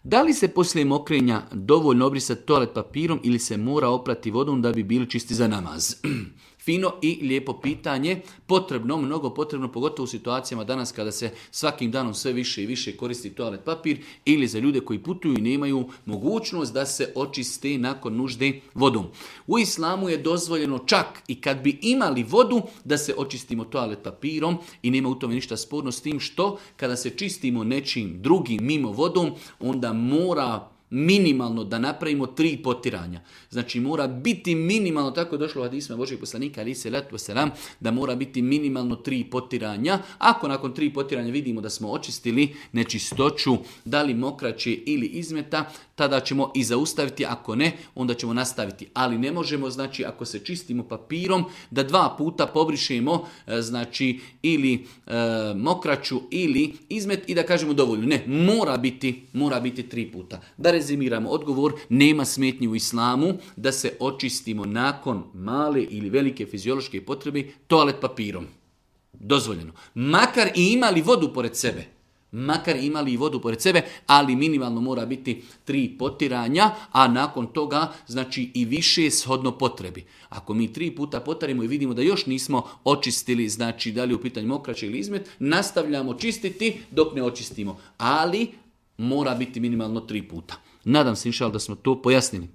Da li se poslije mokrenja dovoljno obrisati toalet papirom ili se mora oprati vodom da bi bili čisti za namaz? Fino i lijepo pitanje, potrebno, mnogo potrebno, pogotovo u situacijama danas kada se svakim danom sve više i više koristi toalet papir ili za ljude koji putuju i nemaju mogućnost da se očiste nakon nužde vodom. U islamu je dozvoljeno čak i kad bi imali vodu da se očistimo toalet papirom i nema u tome ništa sporno s tim što kada se čistimo nečim drugim mimo vodom onda mora minimalno da napravimo 3 potiranja. Znači mora biti minimalno, tako je došlo u hadisima Božijeg poslanika alejhi selatu vesselam, da mora biti minimalno 3 potiranja. Ako nakon 3 potiranja vidimo da smo očistili nečistoću, da li mokraće ili izmeta, tada ćemo i zaustaviti, ako ne, onda ćemo nastaviti. Ali ne možemo, znači ako se čistimo papirom, da 2 puta pobrišemo, znači ili mokraću ili izmet i da kažemo dovoljno. Ne, mora biti 3 puta. Da rezimiramo odgovor, nema smetnji u islamu da se očistimo nakon male ili velike fiziološke potrebe toalet papirom. Dozvoljeno. Makar i imali vodu pored sebe. Ali minimalno mora biti 3 potiranja, a nakon toga znači i više shodno potrebi. Ako mi 3 puta potarimo i vidimo da još nismo očistili, znači da li u pitanju mokraće ili izmet, nastavljamo čistiti dok ne očistimo. Ali mora biti minimalno 3 puta. Nadam se inšallah da smo to pojasnili.